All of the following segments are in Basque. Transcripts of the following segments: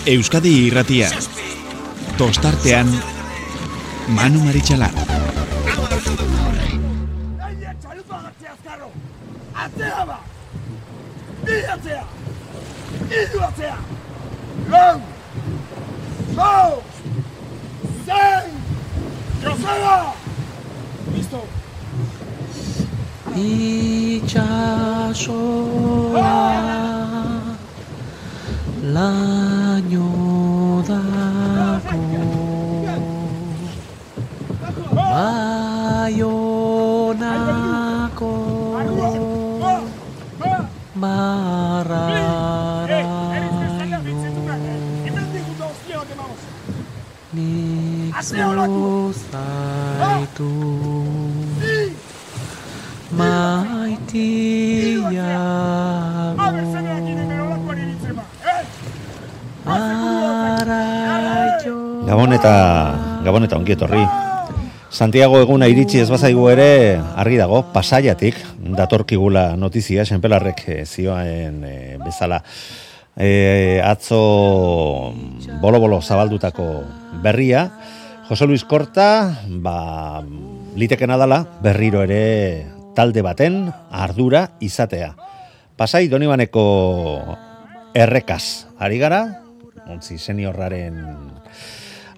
Euskadi Irratia. Tostartean Manu Maritxalar. Atzea ba! Atzea! Idu atzea! Lau! Zau! Zein! Joseba! Listo! Itxasoa laino dako Baionako marraraino nik zuzaitu maitiago Gabon eta ongi etorri. Santiago eguna iritsi ez bazaigu ere argi dago Pasaiatik datorkigula notizia Senpelarrek zioen bezala. Atzo bolo zabaldutako berria Jose Luis Korta litekena dala berriro ere talde baten ardura izatea. Pasai Donibaneko errekaz ari gara, ontzi seniorraren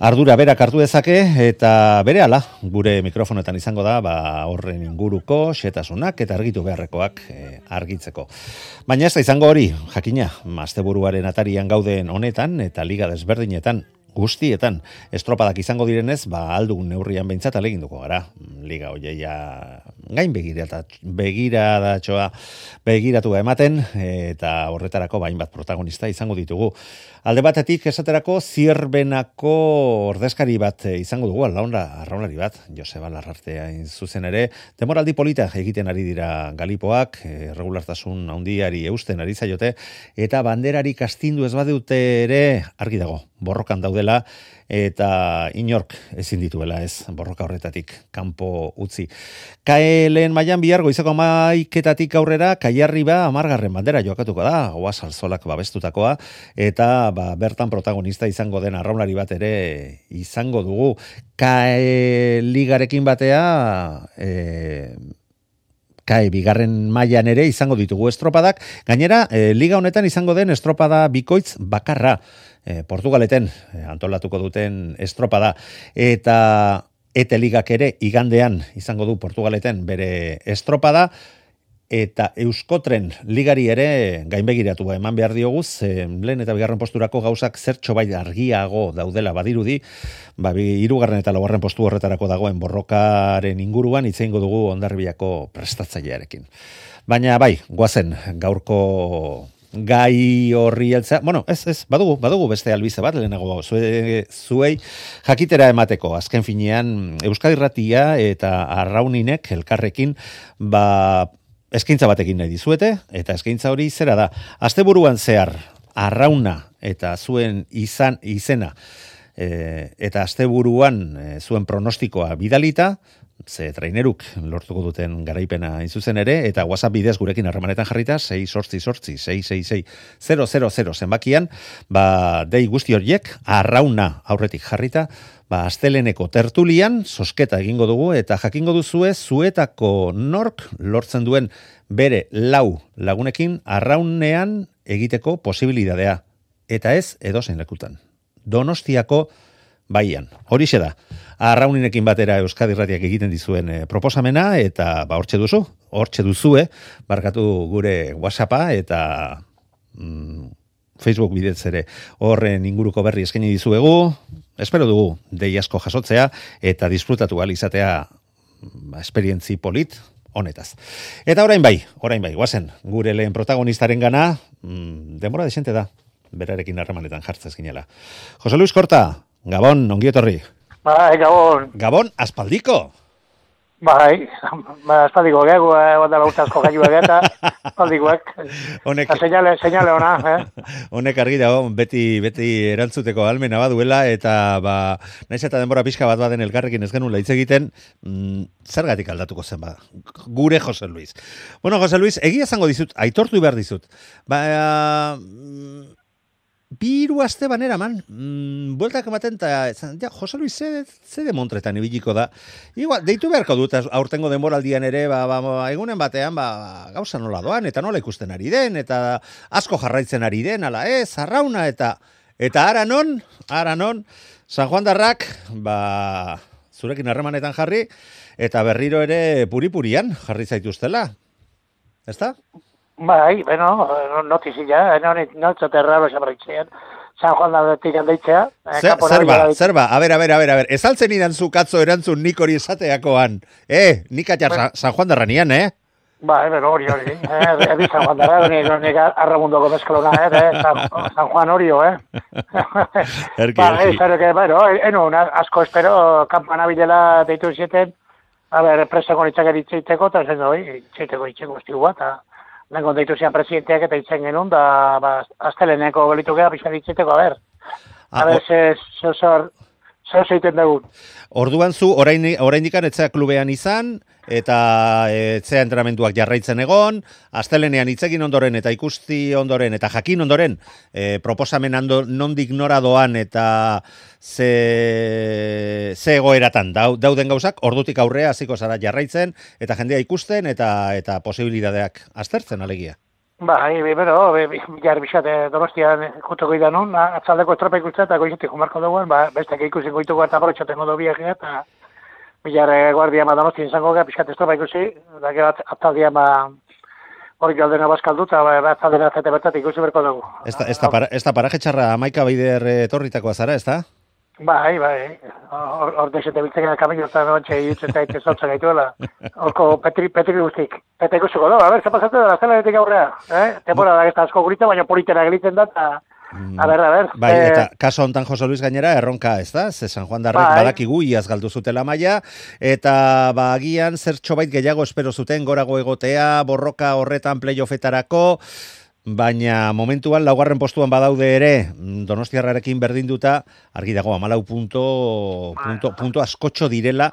ardura berak hartu dezake eta berehala gure mikrofonetan izango da horren inguruko xetasunak eta argitu beharrekoak argitzeko. Baina ez da izango hori, jakina, asteburuaren atarian gauden honetan eta liga desberdinetan guztietan estropadak izango direnez, aldugun neurrian behintzat aleginduko gara. Liga hoieia gain begiratua ematen eta horretarako hainbat protagonista izango ditugu. Alde batetik esaterako Zierbenako ordezkari bat izango dugu, arraunlari bat, Joseba Larrartea zuzen ere, demoraldi polita egiten ari dira Galipoak, regulartasun handiari eusten ari zaiote, eta banderarik astindu ez badute ere argi dago, borrokan daudela, eta inork ezin dituela ez borroka horretatik kanpo utzi. Kaelen mailan bihar goizeko 11:00 aurrera Kaiarriba 10. bandera jokatuko da, Oaz Alzolak babestutakoa, eta bertan protagonista izango den arraunlari bat ere izango dugu. Ligarekin batea bigarren mailan ere izango ditugu estropadak, gainera liga honetan izango den estropada bikoitz bakarra, Portugaleten antolatuko duten estropada, eta Ete ligak ere igandean izango du Portugaleten bere estropada, eta Euskotren ligari ere gainbegiratu eman behar diogu, lehen eta bigarren posturako gauzak zertxo bai argiago daudela badirudi, hirugarren eta laugarren postu horretarako dagoen borrokaren inguruan hitz egingo dugu Hondarribiako prestatzailearekin. Baina goazen gaurko gai horri heltzea. Badugu beste albize bat, lehenago zuei jakitera emateko. Azken finean, Euskadi Irratia eta Arrauninek elkarrekin eskaintza batekin nahi dizuete, eta eskaintza hori zera da. Asteburuan zehar, Arrauna eta zuen izena, eta asteburuan zuen pronostikoa bidalita, ze traineruk lortuko duten garaipena zuzen ere, eta WhatsApp bidez gurekin harremanetan jarrita, 688-666-000 zenbakian, dei guzti horiek, Arrauna aurretik jarrita, asteleneko tertulian, sosketa egingo dugu, eta jakingo duzue, zuetako nork lortzen duen bere 4 lagunekin Arraunean egiteko posibilidadea. Eta ez edozein lekutan. Donostiako baian. Horixe da. Arraunekin batera Euskadi Irratiak egiten dizuen proposamena, eta hortxe duzue, barkatu gure WhatsAppa, eta Facebook bidez ere horren inguruko berri eskaini dizuegu. Espero dugu dei asko jasotzea eta disfrutatu ahal izatea esperientzi polit honetaz. Eta orain bai, guazen, gure lehen protagonistaren gana, denbora desente da, berarekin harremanetan jartzez ginela. Jose Luis Korta, Gabon, ongi etorri. Gabon. Gabon, aspaldiko. Aspaldiko, dela urtazko gaiuak eta aspaldikoak. Seinale ona, Honek argi dago, beti erantzuteko almena baduela, eta naiz eta denbora pixka bat baden elkarrekin ez genuen hitz egiten, zergatik aldatuko zen gure Jose Luis. Bueno, Jose Luis, egia esango dizut, aitortu behar dizut. Biru aste banera man, bueltak ematen, eta Jose Luis ze de Montretan ibiliko da. Igual, deitu beharko dut, aurtengo denboraldian ere, egunen batean, gauza nola doan, eta nola ikusten ari den, eta asko jarraitzen ari den, ala arrauna, eta ara non, San Juan Darrak, zurekin harremanetan jarri, eta berriro ere puri-purian jarri zaituztela. ¿Ezta? Bai, bueno, notizia, no txote raro xabarritzean. San Juan Darretik handeitzea. Zerba, a ver. Ezaltzen idan zu katzo erantzun nik hori esateakoan. Nik atxar San Juan Darranian, Bai, pero hori. Ebi San Juan Darra, nik arramundoko mezclona, San Juan Orio, Erki. Bueno, asko espero, kampana bilela deitu zieten, a ver, presako nitzak eritzeiteko, eta zen doi, itxeiteko estigua, eta nengon deitu zian presidenteak eta itzen genuen, da, asteleneko gelitu geha, pixka ditzeiteko, a ver, zer zeiten dugun. Orduan zu, oraindikan etzea klubean izan, eta etzea entrenamenduak jarraitzen egon, astelenean itzegin ondoren, eta ikusti ondoren, eta jakin ondoren, proposamen nondik nora doan, eta ze egoeratan dauden gauzak, ordutik aurrea hasiko zara jarraitzen, eta jendea ikusten, eta posibilidadeak aztertzen alegia. Bai, bero, jarri bixate Donostian juteko idanon, atzaldeko estropa ikusten, eta goizetik jumarko dugu, bestek ikusin goituko eta borotxatengo du biagia, eta bilar guardia Donostian izango gara, pixkat estropa ikusi, da gero atzaldian hori galdena bazkaldu, eta atzaldena zete bertat ikusi berko dugu. Ez da paraje txarra Amaika Baider etorritakoa zara, ez da? Bai, hor desete biltzekena kamino eta nontxe iutzen zaite zotzen gaituela. Horko Petri guztik. Eta ikusiko da, zer pasatzen da, zelanetik aurrea. Temporada da gesta asko gurita, baina politera gelitzen da, eta a ver. Bai, eta kaso hontan Jose Luis gainera erronka, ez da? Ze San Juan Darrek badakigu iaz galdu zutela maila, eta agian zertxobait gehiago espero zuten gorago egotea, borroka horretan playoffetarako, baina momentuan laugarren postuan badaude ere Donostiarrarekin berdinduta, argi dago 14 punto askotxo direla.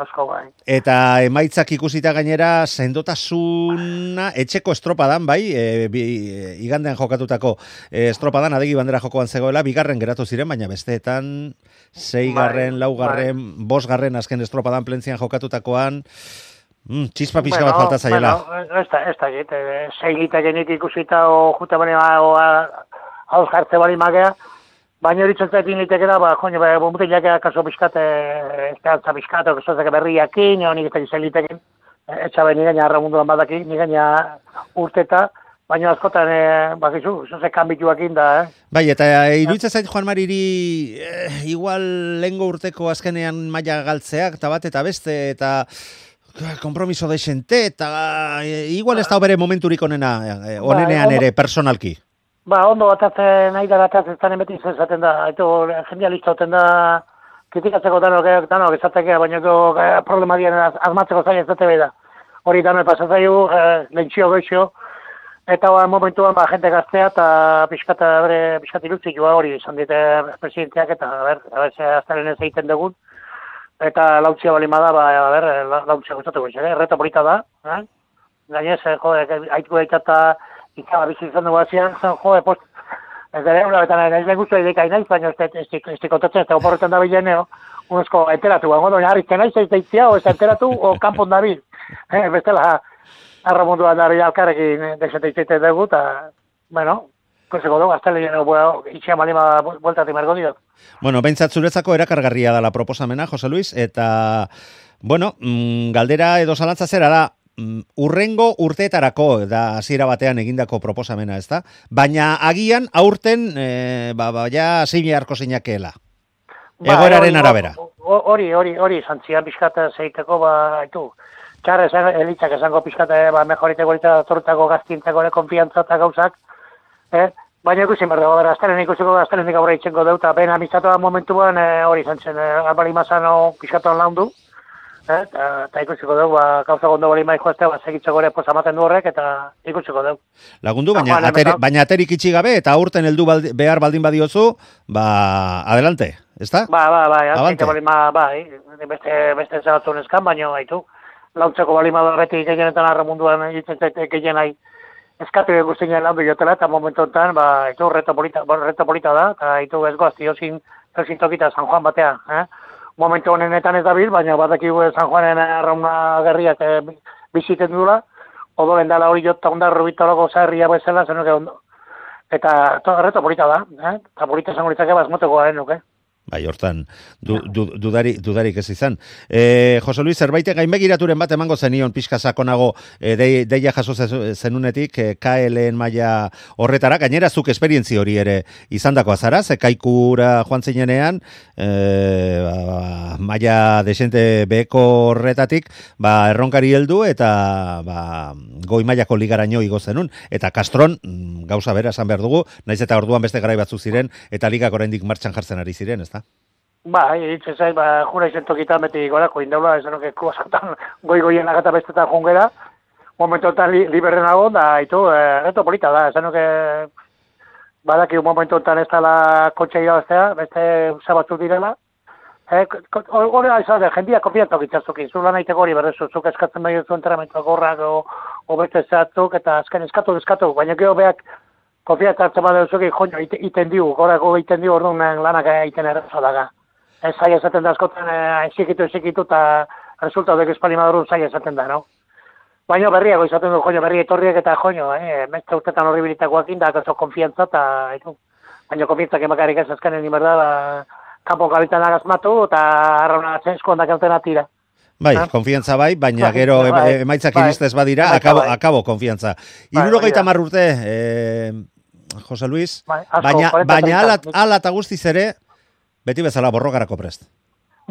Asko bai. Eta emaitzak ikusita gainera sendotasuna etxeko estropadan, bai, igandean jokatutako estropadan adegi bandera jokoan zegoela, bigarren geratu ziren, baina besteetan 6garren, 4garren, 5garren azken estropadan plentzian jokatutakoan txispa pixka bat falta zaiela. Ez da, segitek genik ikusita o juta bani hauz jartze bani magea, baina hori txontzaetin litekera, mutilak kaso pixkat, esperantza pixkat, okezozak berriakin, honik eta izan liteken, etxabe nigaina arramunduan badaki, nigaina urteta, baina askotan, bakizu, zozek kanbituakin da, Bai, eta iruditzen zait Juan Mariri igual lehengo urteko azkenean maila galtzeak, eta bat eta beste, eta kompromiso desente, eta igual ez da bere momenturik onenean ere, personalki. Ondo batatzen, nahi da batatzen zanen beti izaten da, jendea listauten da, kritikatzeko danok ezatekea, baina problema dian azmatzeko zaila ezate behi da. Hori danok pasatzaiu, lehentxio goixo, eta momentuan jente gaztea, eta pixkat ilutzikua hori izan dite presidenteak, eta aztaren ez egiten dugun. Eta lautzia bali bada, lautzia gustatuko izan, erreta polita da. Gainez, haitko gaitata ikaba bizi izan dugu azian, post, ez dara egun labetan, ez lehen guztua ideka inaiz, baina ez dikotatzen, ez da oporretan da bilen, unosko enteratu, doina harrizten naiz, ez daitzia, o ez enteratu, o kanpon da bil. Bestela, arramunduan da bil alkarrekin desete izteiten dugu, eta, bueno, kusiko dugu, aztele itxea malima bueltatik mergo diot. Bueno, behintzat zuretzako erakargarria da la proposamena, Jose Luis, eta, bueno, galdera edo zalantza zera da, urrengo urteetarako da hasiera batean egindako proposamena, ez da? Baina agian aurten, ja zibiarko zeinakeela. Egoeraren arabera. Hori, zantzian pixkat zeiteko, haitu, txarra elitzak esango pixkat, mejoriteko eta zortako gaztintzako konfiantza eta gauzak, baina ikusi behar dago, aztaren ikusiko, aztaren aurra itxengo dut, eta ben amizatoa momentuan hori zantzen, albali mazano pixkatuan laundu, eta ikusiko dugu, gauza gondo bali maiko ezte, segitzeko ere posamaten du horrek, eta ikusiko dugu. Lagundu, baina aterik itxi gabe, eta aurten heldu behar baldin badiozu, adelante, ez da? Azkeite bali beste zabatzun eskan, baina haitu, launtzeko bali horretik gehienetan arramunduan egiten zaite gehien nahi, eskatu guztien lan bilotela, eta momentu enten, itu reto polita da, eta itu ez goaz, diozin tokita San Juan batea, Momentu honenetan ez dabil, baina badakigu San Juanen arrauna gerriak biziten dula, odolen dala hori jota ondarro bitolago zaherria bezala, zenuke ondo. Eta reto polita da, eta polita zango litzake bazmoteko garen nuke. Bai, hortan, dudarik ez izan. Jose Luis, zerbait gainbegiraturen bat emango zenion pixka sakonago deia jaso zenunetik KLN maila horretara, gainera zuk esperientzi hori ere izandakoa zara, ze Kaikura joan zinenean, maila desente beheko horretatik, erronkari heldu eta goi mailako ligaraino igo zenun, eta Castron, gauza bera esan behar dugu, naiz eta orduan beste garai batzuk ziren, eta ligak oraindik martxan jartzen ari ziren, ezta? Hitz ezai, jura izen tokitan beti gorako indaula, esanok kluazatan goi-goien lagata bestetan jungera, momentotan liberrenago, da, reto polita da, esanok badaki momentotan ez dala kotxe irabaztea, beste zabatzuk direla, hori izan da, jendia konfiantzak itxazuki, zula nahiteko hori berrezuzuk eskatzen behar zuen entrenamentuak gorrak o beste zatzuk, eta azken eskatu, baina gero beak konfiantzak bat duzuki, joño, iten diu, gorako iten diu orduan lanak egiten errezo daga. Ez zai esaten da askotan ezikitu eta resultatek espalimadurun zai esaten da, no? Baina berriago izaten du, joño, berri etorriek eta joño, mestre urtetan horribilitakoak indak oso konfiantza eta baina konfiantzak emakarik ez azkenen inberda, kanpo kabitan agazmatu eta arrauna zensko ondak altena tira. Bai, konfiantza bai, baina gero emaitzak iristez badira, akabo konfiantza. 70 urte, Jose Luis, baina ala eta guztiz ere, beti bezala borrokarako prest.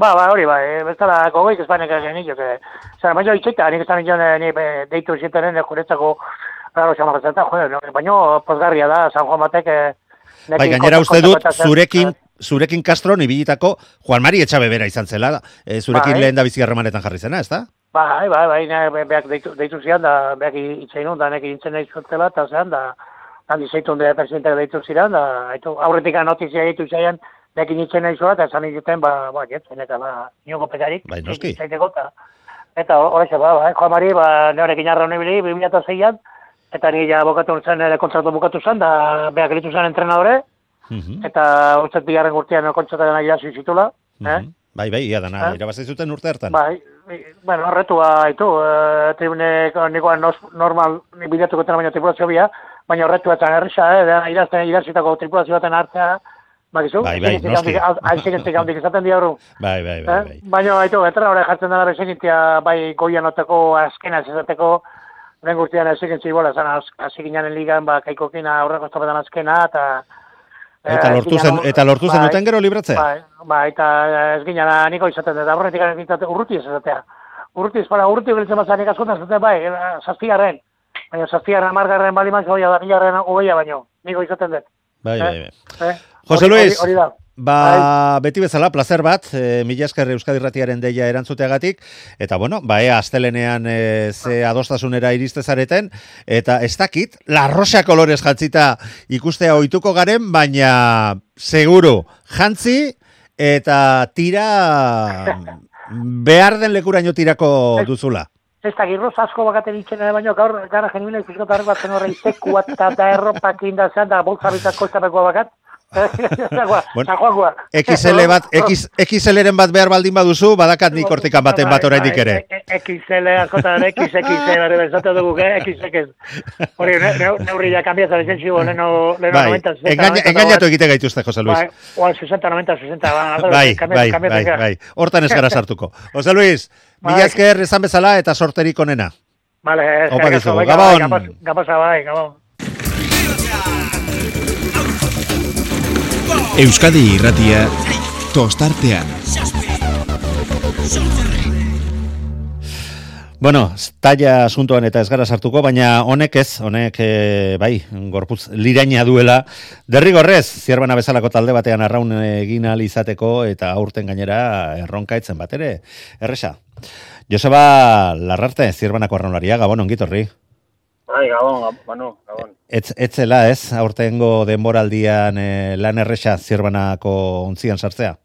Hori, bezala gogoik Espainek egin nio, baina itxeita, nik estan nion deitu zitenen juretzako raro xamatzen, baina pozgarria da, San Juan batek... Bai, gainera uste dut, zurekin Castron ibilitako Juan Mari Etxabe bera izan zela, zurekin lehen da bizi harremanetan jarri zena, ezta? Bai, beak deitu zian, da beak itxainun, da nek intzen nahi zuetzela, eta zean, da handi zeitun da presidentak deitu ziren, da aurretik notizia deitu zian, beak intzen nahi zuela, eta esan egiten, jetzen, eta niogo pekarik. Bai, noski. Eta horrexe, Juan Mari, neorekin arra honibili, 2006an, eta ni ja bokatu zen, kontratu bukatu zen, da beak elitu zen entrenadore, eta utzet bigarren urtean kontzataren irazi zitula. Bai, ia dana, irabazi zuten urte hartan. Bai, horretua, tribunek nikoan normal bilatuko tena baino tripulazio bia, baina horretua etan errisa, irazitako tripulazio baten hartzea, bakizu? Bai, noski. Aizikentik handik izaten diabru. Bai. Baina, entrenadore jartzen dara bezegintia, bai goian oteko azkena ezateko, lehen gurtian aizikentzik bola, azikinanen ligan, kaikokin aurreko estopetan azkena, Eta lortu zen duten gero libratze? Bai, eta ez ginen niko izaten dut, aurretik urruti ez ezatea. Urruti gelitzen batzak nik askotan zaten, zazpigarren. Baina zazpigarren, margarren baliman, zoia da, milarren ogeia baino, niko izaten dut. Bai. Jose Luis, beti bezala, placer bat, mila esker Euskadi Irratiaren deia erantzuteagatik, eta astelenean ze adostasunera iristezareten, eta ez dakit, La Rosa kolorez jantzita ikustea ohituko garen, baina seguru, jantzi eta tira behar den lekuraino tirako duzula. Ez da, girroz asko bakaten itxen, baina gaur gara genibila ikuskotarrik bat zen horre izekua eta erropak indazean, da boltzabitako izapekoa bakat. XL-ren bat behar baldin baduzu, badakat nik hortikan baten bat oraindik ere. XL, askotan, XXL, bezatu dugu, XX. Hori, neurria kambiatzen ezen zibo, leno 90, 60. Engainatu egite gaituzte, Jose Luis. Oan 60, 90, 60. Bai. Hortan ez gara sartuko. Jose Luis, mila esker esan bezala eta sorterik onena. Vale, opa dizugu, gabon. Gabon. Euskadi Irratia tostartean. Taila asuntoan eta ez gara sartuko, baina honek bai, gorputz liraina duela. Derrigorrez, Zierbana bezalako talde batean arraun egin ahal izateko eta aurten gainera erronkaitzen bat ere. Erresa. Joseba Larrarte, Zierbanako arraunlaria, gabon, ongitorri. Bai, gabon. Etzela, aurtengo denboraldian lan erresa Zierbanako ontzian sartzea?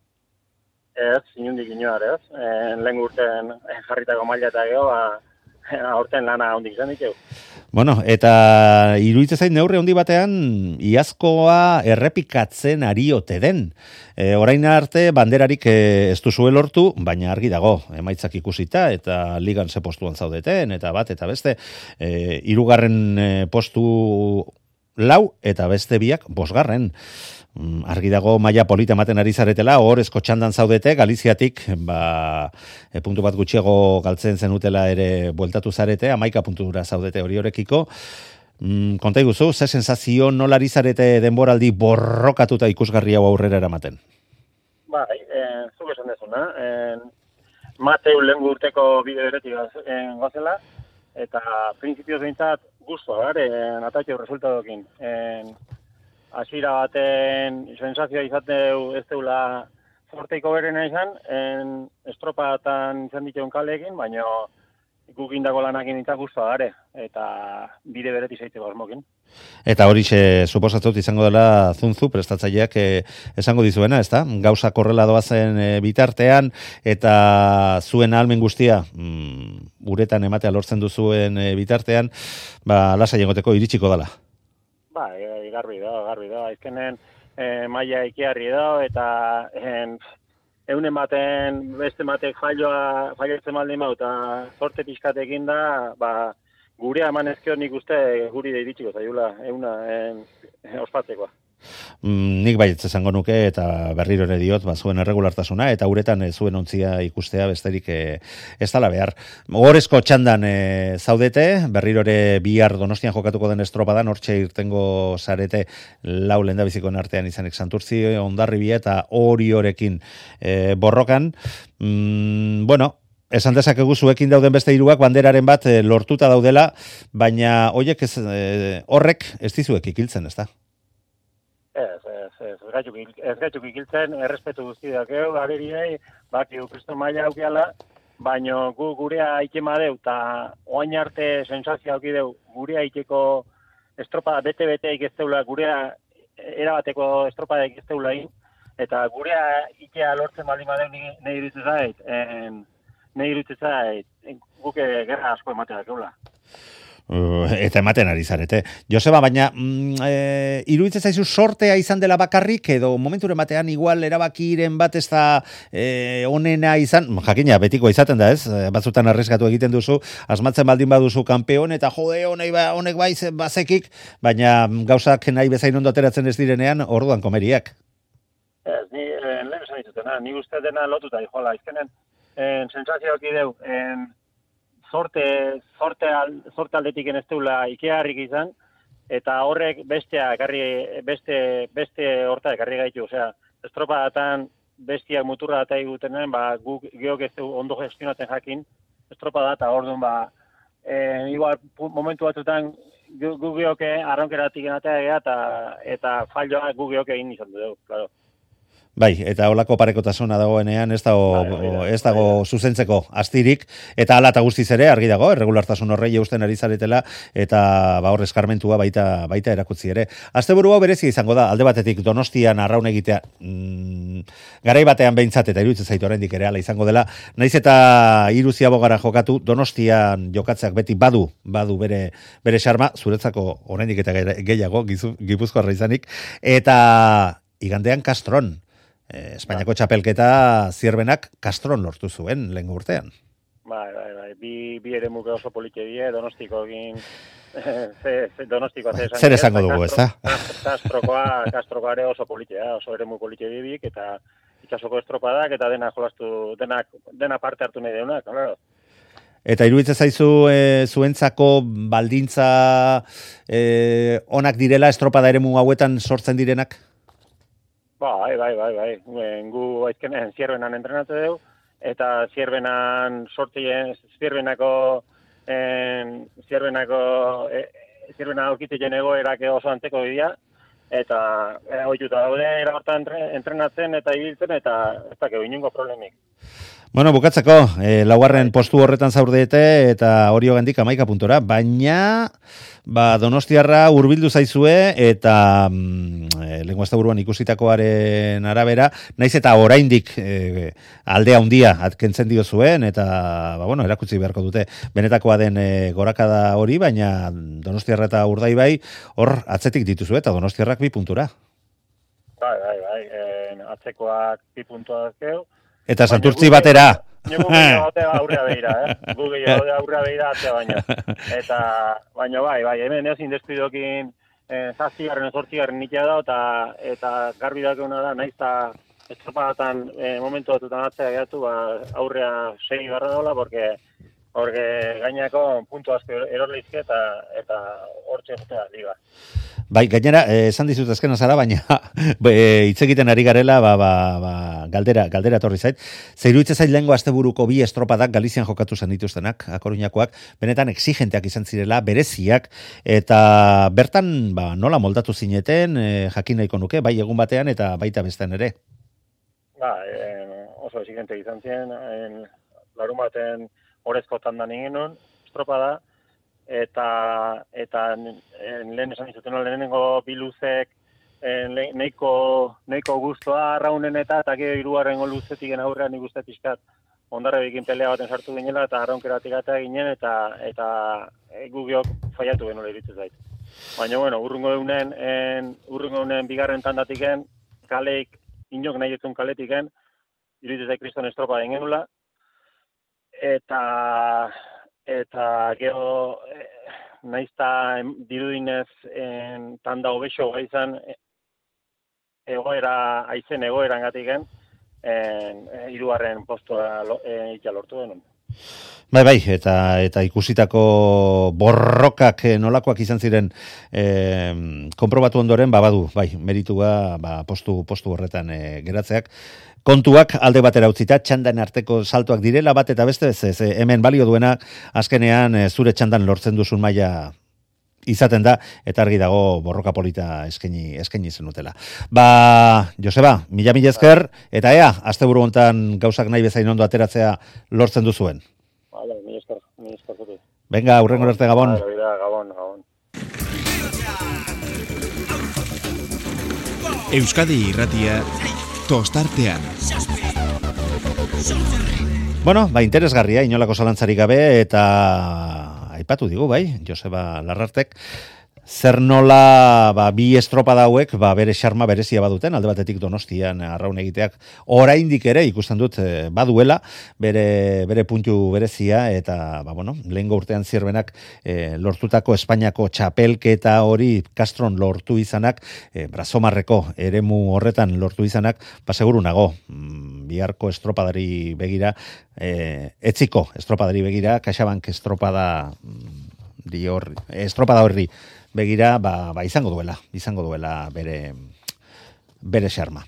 Ez, inundik inoar, ez. Lehen urtean jarritako maila eta geho, aurten lana hondik izan ditu. Bueno, eta iruditzen zait neurri handi batean iazkoa errepikatzen ari ote den. Orain arte banderarik ez duzue lortu, baina argi dago, emaitzak ikusita eta ligan ze postuan zaudeten, eta bat, eta beste, hirugarren postu 4 eta beste biak 5. Argi dago maila polita ematen ari zaretela, hor txandan zaudete, Galiziatik, puntu bat gutxiago galtzen zenutela ere bueltatu zarete, 11 puntura zaudete hori horekiko. Konta iguzu, ze sensazio nola ari zarete denboraldi borrokatuta ikusgarri hau aurrera eramaten? Bai, zuk esan dezuna, Mateu lehen urteko bide beretik gozela, eta prinsipioz behintzat guztua, atatxo resultadokin. Hasiera baten sensazioa izateu ez deula zorteiko berena izan, estropatan izan dituen kaleekin, baina gukindako lanakin nintzak guztua gare, eta bide bereti zaiteko asmokin. Eta hori suposatzut izango dela Zunzu prestatzaileak esango dizuena, ezta? Gauza korrela doazen bitartean, eta zuen ahalmen guztia uretan ematea lortzen duzuen bitartean, lasai egoteko iritsiko dela. Garbi da. Azkenen maila ikiarri da, eta eunen baten, beste batek failatzen baldin bau, eta zorte pixkatekin da, gurea eman ezkio nik uste guri da iritsiko zailula, euna ospatzekoa. Nik baietz esango nuke, eta berriro ere diot, zuen erregulartasuna, eta uretan zuen ontzia ikustea besterik ez dala behar. Gorezko txandan zaudete, berriro ere bihar Donostian jokatuko den estropadan, hortxe irtengo zarete 4 lehendabizikoen artean izanik Santurtzi, Hondarribia eta Oriorekin borrokan. Esan dezakegu zuekin dauden beste hiruak banderaren bat lortuta daudela, baina horrek ez dizuek ikiltzen, ez da? Ez gaituk ikiltzen, errespetu guztiak ageriei, bakiu kristo maila aukiala, baina gurea ikema deu, eta oain arte sensazio auki deu, gurea ikeko estropa bete-bete ikesteula, gurea erabateko estropa ikesteula eta gurea ikea lortzen baldin badeu nahi iruditzen zait, guke gerra asko ematea dakeula. Eta ematen ari zarete. Joseba, baina iruditzen zaizu sortea izan dela bakarrik, edo momenturen batean igual erabakiren bat ez da onena izan, jakina, betiko izaten da ez, batzutan arriskatu egiten duzu, asmatzen baldin baduzu kanpeon, eta jode, honek bai bazekik, baina gauzak nahi bezain ondo ateratzen ez direnean, orduan komeriak. Ez, ni lehen esan ditutena, ni uste dena lotuta joala, izkenen sensazioak ideu, sorte aldetik ez deula ikearrik izan, eta horrek beste horta ekarri gaitu, osea, estropadatan bestiak muturra data egutenen, guk geok ez du ondo gestionatzen jakin, estropada eta orduan, igual momentu batzutan guk geok arronkeratik enatea eta falloa guk geok egin izan dugu, claro. Bai, eta holako parekotasuna dagoenean ez dago zuzentzeko astirik, eta hala eta guztiz ere argi dago, erregulartasun horrei eusten ari zaretela, eta hor eskarmentua baita erakutzi ere. Asteburu hau berezia izango da, alde batetik Donostian arraun egitea, garai batean behintzat, eta iruditzen zaitu oraindik ere hala izango dela, naiz eta Iruzia Bogara jokatu, Donostian jokatzeak beti badu bere xarma, zuretzako oraindik eta gehiago, Gipuzkoarra izanik, eta igandean Castron. Espainiako txapelketa Zierbenak Castron lortu zuen lehen urtean. Bai. Bi ere muke oso politxe die, Donostiko egin... Donostikoa zer esango dugu, ez da? Castrokoa ere oso politxe, oso ere mu politxe bibik, eta itxasoko estropadak, eta dena jolastu, dena parte hartu nahi deunak, claro. Eta iruditzen zaizu zuentzako baldintza onak direla estropada eremu hauetan sortzen direnak? Bai. Gu aizkenen Zierbenan entrenatu dugu, eta Zierbenan Zierbena aurkitzen egoerak oso anteko dira, eta ohituta daude era hortan entrenatzen eta ibiltzen, eta ez dakeu inongo problemik. Bueno, bukatzeko, laugarren postu horretan zaurdete eta hori hogendik 11 puntora, baina Donostiarra hurbildu zaizue eta lehengo asteburuan ikusitakoaren arabera, naiz eta oraindik aldea handia atkentzen dio zuen eta erakutsi beharko dute benetakoa den gorakada hori, baina Donostiarra eta Urdaibai hor atzetik dituzue eta Donostiarrak 2 puntura. Bai, atzekoak 2 puntuak dazkeu. Eta Santurtzi batera. Gu gehiagote aurrea behira, Gu gehiagote aurrea behira atzea baino. Baina bai, hemen ezin despidokin 7. nitia da, eta garbi dakeuna da, naiz eta estropadatan momentu batutan atzea gehatu, aurrea 6 barra dola, porque gainako puntu asko erorleizke eta hortxe jotea liga. Bai, gainera, esan dizut azkena zara, baina hitz egiten ari garela, galdera etorri zait. Zeiruitze zait lehengo asteburuko 2 estropadak Galizian jokatu zen dituztenak, Akoruñakoak, benetan exigenteak izan zirela, bereziak, eta bertan nola moldatu zineten, jakin nahiko nuke, bai egun batean eta baita bestean ere. Oso exigente izan ziren, larun baten orezko tandan ingenun, estropada, eta lehen esan izuten lehenengo biluzek neiko guztua arraunen eta gero 3. luzetik aurrean nik uste pixkat ondarrebekin pelea baten sartu ginela eta arraunkeratik eta ginen eta gugiok faiatu genula iritzu zait. Baina, urrungo eunen bigarren tandatiken, kaleik, inok nahi etzun kaletiken, iritzu zait kriston estropa den genula, eta gero naizta dirudinez tanda hobexo izan aizen egoeran gatiken 3. postua lortu denun. Bai, eta ikusitako borrokak nolakoak izan ziren konprobatu ondoren, badu, meritua postu horretan geratzeak. Kontuak alde batera utzita, txandan arteko saltoak direla bat eta beste, hemen balio duena azkenean zure txandan lortzen duzun maila izaten da, eta argi dago borroka polita eskaini zenutela. Joseba, mila esker, eta asteburu hontan gauzak nahi bezain ondo ateratzea lortzen duzuen. Mila esker zuti. Venga, hurrengo arte, Gabon. Gabon. Euskadi Irratia tostartean. Interesgarria, inolako zalantzarik gabe, eta aipatu digu, Joseba Larrartek, zer nola 2 estropada hauek bere xarma berezia baduten, alde batetik Donostian arraun egiteak oraindik ere ikusten dut baduela bere puntu berezia, eta lehengo urtean zirbenak lortutako Espainiako txapelketa hori Castron lortu izanak, Brazomarreko eremu horretan lortu izanak, seguru nago biharko estropadari begira, etziko estropadari begira, CaixaBank estropada horri begira, izango duela bere xarma.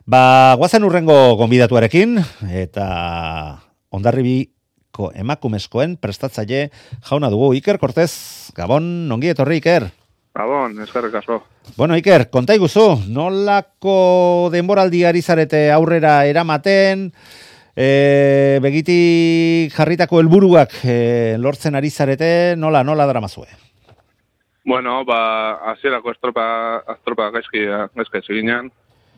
Guazen urrengo gonbidatuarekin, eta Hondarribiko emakumezkoen prestatzaile jauna dugu, Iker Cortez. Gabon, ongi etorri, Iker. Gabon, eskerrik asko. Iker, konta iguzu, nolako denboraldiari zarete aurrera eramaten, begitik jarritako helburuak lortzen ari zarete, nola daramazue? Hasierako estropa gaizki eginen,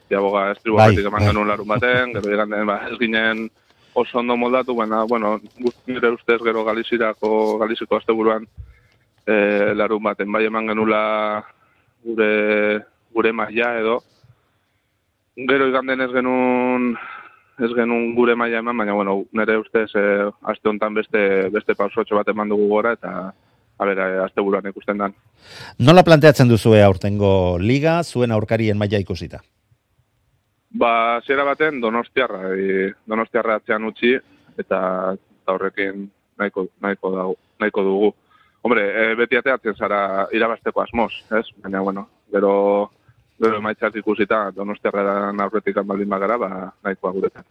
jaboga estribuagatik eman genuen larun baten, gero eganden ez ginen oso ondo moldatu, nire ustez gero Galiziko asteburuan larun baten, eman genula gure maila edo, gero eganden ez genuen gure maila eman, baina nire ustez aste honetan beste pausotxo bat eman dugu gora, eta asteburuan ikusten dan. Nola planteatzen duzue aurtengo liga, zuen aurkarien maila ikusita? Hasiera baten Donostiarra atzean utzi, eta horrekin nahiko dugu. Hombre, beti ateatzen zara irabasteko asmoz, ez? Baina, gero emaitzak ikusita Donostiarraren aurretik baldin bagara, nahikoa guretan.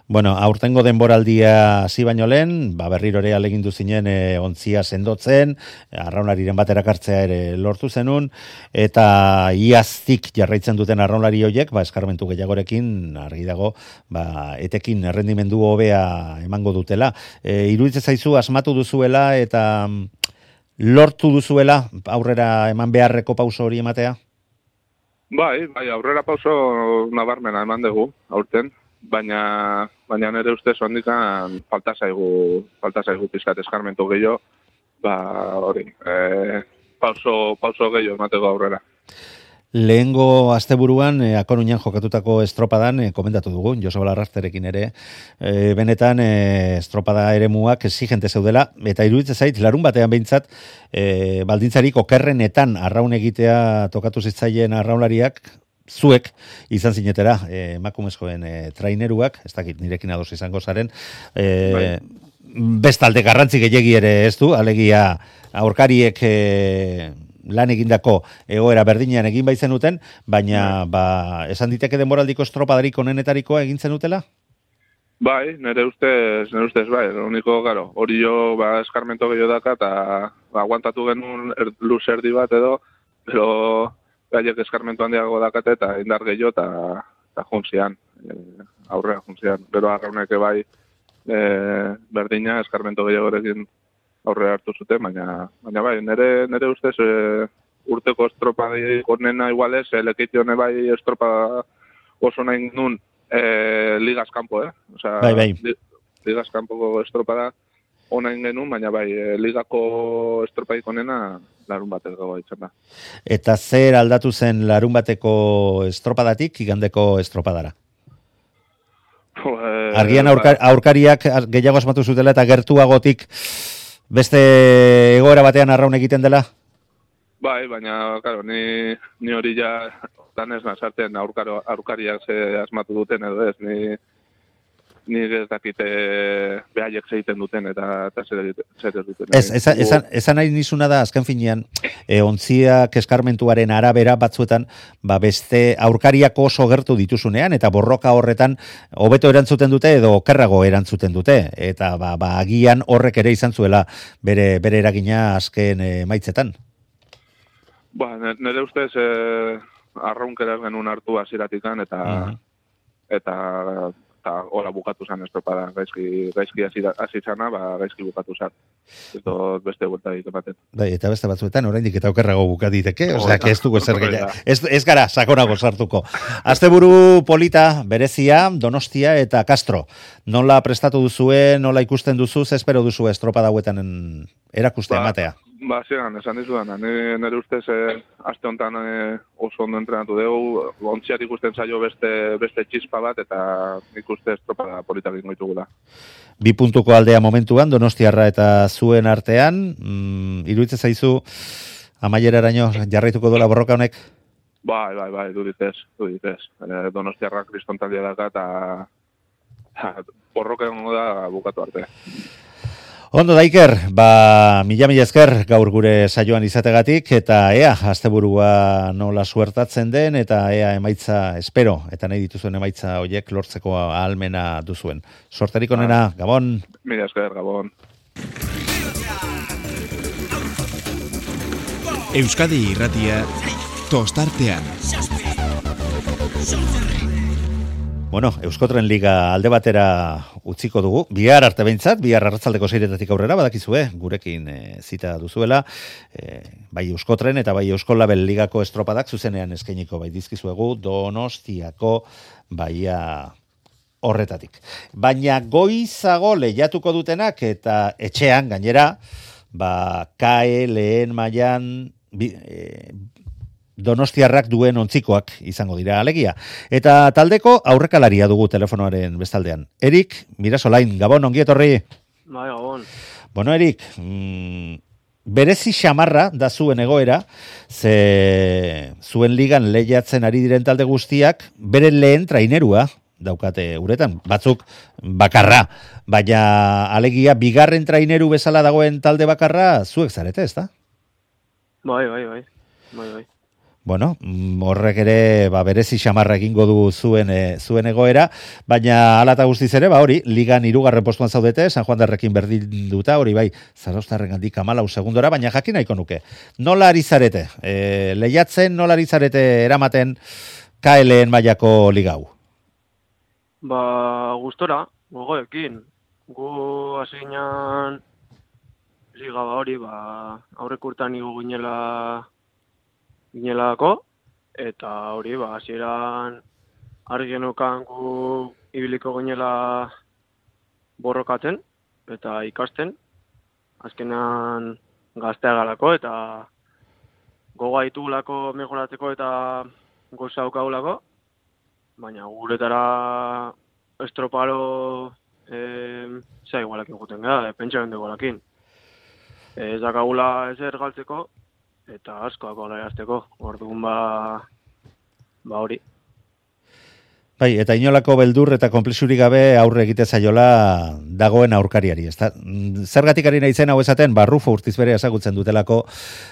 Bueno, aurtengo denboraldia hasi baino lehen, berriro ere alegindu zinen ontzia sendotzen, arraunlariren bat erakartzea ere lortu zenun, eta iaztik jarraitzen duten arraunlari horiek, eskarmentu gehiagorekin, argi dago, etekin errendimendu hobea emango dutela. Iruditzen zaizu asmatu duzuela eta lortu duzuela aurrera eman beharreko pauso hori ematea? Bai, aurrera pauso nabarmena eman dugu, aurten. Baina nire ustez ondikan falta zaigu pizkat eskarmentu gehiago, hori, pauso gehiago emateko aurrera. Lehengo asteburuan Akoruñan jokatutako estropadan komentatu dugu, Joseba Larrasterekin ere, benetan estropada eremuak exigente zeudela, eta iruditzen zait, larun batean behintzat, baldintzarik okerrenetan arraun egitea tokatu zitzaien arraunlariak, zuek izan zinetera, emakumezkoen traineruak, ez dakit nirekin ados izango zaren, bestalde garrantzi gehiegi ere ez du, alegia aurkariek lan egindako egoera berdinean egin baizenuten, baina esan diteke denboraldiko estropadarik onenetarikoa egin zenutela? Bai, nire ustez bai, uniko, garo, hori jo eskarmento gehiago daka, eta aguantatu genuen luz erdi bat edo, pero gaiek eskarmentu handiago dakate eta indar gehiago eta juntzian, aurrea juntzian. Gero arrauneke bai berdina eskarmentu gehiagorekin aurrea hartu zuten, baina bai, nire ustez urteko estropadik onena igualez, lekition bai estropa oso nahi nun ligaz kanpo, Osea, bai. Ligaz kanpoko estropada onain genuen, baina bai, ligako estropadik onena larun bateko ditzen da. Eta zer aldatu zen larun bateko estropadatik igandeko estropadara? Argian aurkariak gehiago asmatu zutela eta gertuagotik beste egoera batean arraun egiten dela? Bai, baina, claro, ni hori ja danez nazarten aurkariak ze asmatu duten edo ez, ni ez dakite behaiek zeiten duten eta zer ez duten. Esan nahi nizuna da, azken finean, ontziak eskarmentuaren arabera batzuetan, beste aurkariak oso gertu dituzunean, eta borroka horretan hobeto erantzuten dute edo okerrago erantzuten dute, eta agian horrek ere izan zuela bere eragina azken maitzetan. Nire ustez arraunkeraz genuen hartu hasieratikan eta hola bukatu zen estropada, gaizki hasi zana, gaizki bukatu zen. Ez dut beste vuelta ematen. Eta beste batzuetan oraindik eta okerrago bukatiteke, osea, ez dugu zer gehiago. Ez gara sakonago sartuko. Asteburu polita, berezia, Donostia eta Castro. Nola prestatu duzue, nola ikusten duzu, espero duzu estropada hauetan erakuste ematea? Zeran, esan dizudan, nire ustez aste honetan oso ondo entrenatu dugu, ontziat ikusten zaio beste txispa bat, eta ikuste estropada politak ingo ditugula. 2 puntuko aldea momentuan, Donostiarra eta zuen artean, iruditzen zaizu amaieraraino jarraituko dola borroka honek? Bai, duditez. Donostiarra kristontalia daka, eta borroka egongo da bukatu arte. Ondo da, Iker, mila esker gaur gure saioan izategatik, eta asteburua nola suertatzen den, eta emaitza espero, eta nahi dituzuen emaitza horiek lortzeko ahalmena duzuen. Sorterik onena, Gabon! Mila esker, Gabon! Euskadi Irratia, tostartean. Bueno, Euskotren Liga alde batera utziko dugu. Bihar arte behintzat, bihar arratzaldeko 6 aurrera, badakizue, gurekin zita duzuela, bai Euskotren eta bai Euskolabel Ligako estropadak zuzenean eskainiko bai dizkizuegu Donostiako baia horretatik. Baina goizago lehiatuko dutenak eta etxean gainera, KAE lehen mailan Donostiarrak duen ontzikoak izango dira alegia. Eta taldeko aurrekalaria dugu telefonoaren bestaldean. Erik, Mirasolain, Gabon, ongi etorri. Bai, Gabon. Bueno, Erik, berezi xamarra da zuen egoera, ze zuen ligan lehiatzen ari diren talde guztiak, bere lehen trainerua daukate uretan, batzuk bakarra, baina alegia bigarren traineru bezala dagoen talde bakarra zuek zarete, ezta? Bai. Bueno, horrek ere berezi xamarra egingo du zuen egoera, baina hala eta guztiz ere, hori, ligan 3. postuan zaudete, San Juan derrekin berdinduta, hori bai, Zarauztarrengandik 14 segundora, baina jakin nahiko nuke. Nola ari zarete? Lehiatzen, nola ari zarete eramaten KLN mailako liga hau? Gustora, gogoekin. Gu hasi ginen liga hori, aurreko urtean igo ginelako, eta hori, hasieran argi genukan gu ibiliko ginela borrokatzen, eta ikasten, azkenan gaztea galako, eta goga ditugulako mejoratzeko eta goza daukagulako, baina guretara estroparo zea igualak egiten gara, pentsaren dugulakin. Ez dakagula ezer galtzeko, eta askoak olarazteko, orduan hori. Bai, eta inolako beldur eta konplexurik gabe aurre egite zaiola dagoen aurkariari, ezta? Zergatik ari naizen hau esaten, Rufo Urtiz bere ezagutzen dutelako,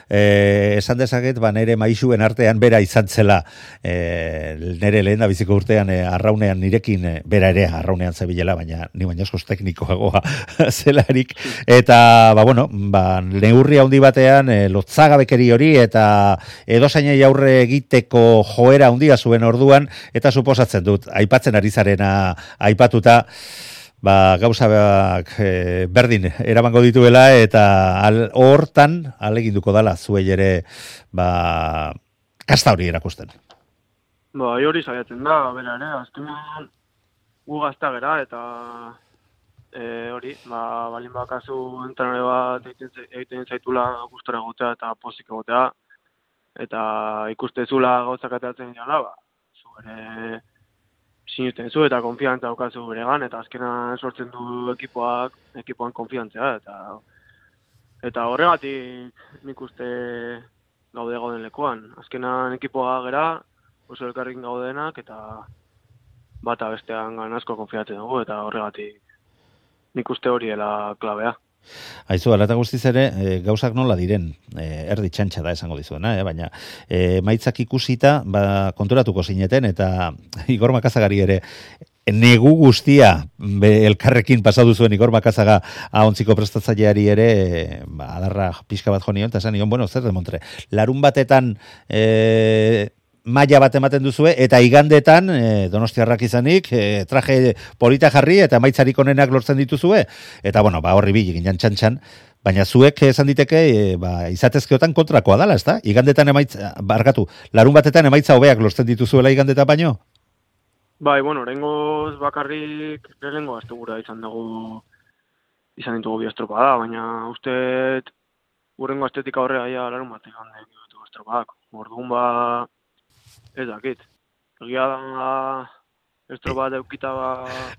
esan dezaket, nere maixuen artean bera izan zela, nere lehen da biziko urtean arraunean nirekin, bera ere arraunean zebilela, baina ni baina askoz teknikoagoa zelarik, eta, neurri handi batean, lotzagabekeri hori, eta edozainei aurre egiteko joera handia zuen orduan, eta suposatzen dut, aipatzen ari zarena aipatuta, gauza berdin eramango dituela, eta hortan aleginduko dala zuei ere kasta hori erakusten. Hori saiatzen da, bera ere, azkenean gu gazta gera, eta hori, balin bakazu entrenore bat egiten zaitula gustora egotea eta pozik egotea, eta ikustezula gauzak ateratzen dira, ere sinisten zu eta konfiantza daukazu beregan, eta azkenan sortzen du ekipoan konfiantzea, eta horregatik nik uste gaude gauden lekuan. Azkenan ekipoa gera, oso elkarrekin gaudenak, eta bata bestean asko konfiatzen dugu, eta horregatik nik uste hori dela klabea. Aizu, ala eta guztiz ere, gauzak nola diren, erdi txantxa da esango dizuena, baina maitzak ikusita, konturatuko zineten, eta Igor Makazagari ere, negu guztia elkarrekin pasatu zuen Igor Makazaga ahontziko prestatzaileari ere, adarra pixka bat jo nion, eta esan nion, zer demontre, larun batetan maila bat ematen duzue, eta igandetan, donostiarrak izanik, traje polita jarri, eta maitzarik onenak lortzen dituzue, eta horri bil ginen txantxan, baina zuek esan diteke, izatezkeotan kontrakoa dala, ezta? Igandetan larun batetan emaitza hobeak lortzen dituzuela igandetan baino? Oraingoz bakarrik lehenengo astegura izan ditugu bi estropada, baina uste urrengo estetika horrega larun batean ditugu estropadak. Orduan ez dakit. Egia da estropada eukita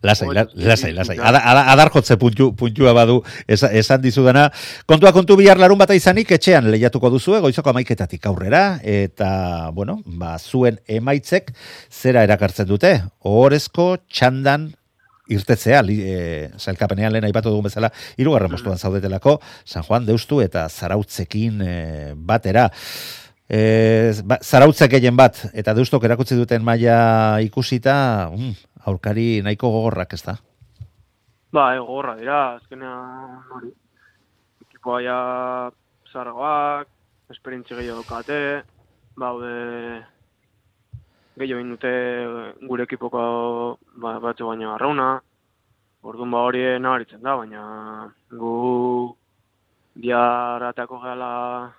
Lasai. Adar jotze puntua badu esan dizudana. Kontu bihar larun bata izanik etxean lehiatuko duzue, goizoko 11:00 aurrera, eta, zuen emaitzek zera erakartzen dute. Ohorezko txandan irtetzea, sailkapenean lehen aipatu dugun bezala, 3. postuan zaudetelako, San Juan, Deustu eta Zarautzekin batera. Zarautzek gehien bat, eta Deustok erakutsi duten maila ikusita, aurkari nahiko gogorrak, ez da? Gogorra dira, azkenean hori. Ekipoa ja zargoak, esperientzi gehiago daukate, gehiago indute gure ekipoko batzu baino arrauna, orduan hori nabaritzen da, baina gu diarratako gehala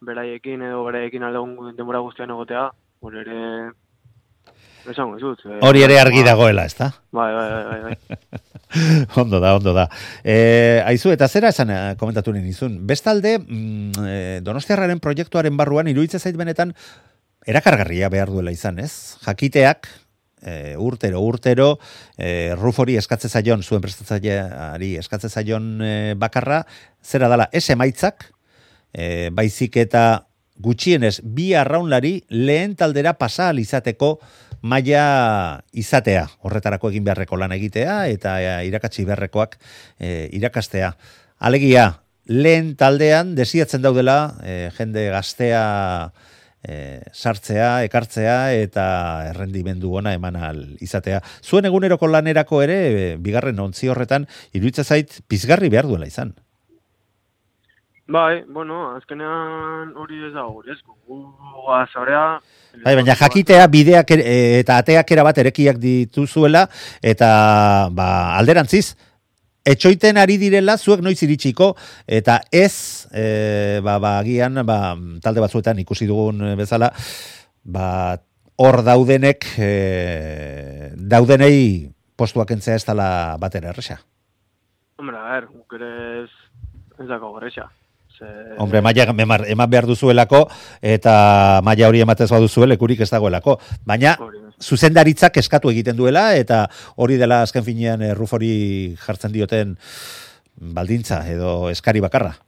beraiekin aldegun denbora guztian egotea, hori ere esango izut. Hori ere argi dagoela, ez da? Bai. Ondo da. Aizu, eta zera esan komentatu nizun. Bestalde, Donostiarraren proiektuaren barruan, iruditzen zait benetan, erakargarria behar duela izan, ez? Jakiteak, urtero, Rufori eskatze zaion, zuen prestatzaileari eskatze zaion bakarra, zera dala, emaitzak, baizik eta gutxienez bi arraunlari lehen taldera pasa izateko maila izatea, horretarako egin beharreko lan egitea eta irakatsi beharrekoak irakastea. Alegia, lehen taldean desiatzen daudela jende gaztea sartzea, ekartzea eta errendimendu ona eman ahal izatea. Zuen eguneroko lanerako ere, bigarren ontzi horretan, iruditzen zait pizgarri behar duela izan. Bai, bueno, azkenean hori ez dago gure esku. Guazorea... Bai, baina jakitea bideak eta ateak erabat erekiak dituzuela eta alderantziz, etxoiten ari direla zuek noiz iritsiko eta ez agian talde batzuetan ikusi dugun bezala hor daudenek daudenei postuak entzea ez dela batera erresa. Hombre, a ver, guk ere ez dago erresa. Hombre, maia eman behar duzuelako eta maila hori ematez baduzue lekurik ez dagoelako. Baina zuzendaritzak eskatu egiten duela eta hori dela azken finean Rufori jartzen dioten baldintza edo eskari bakarra.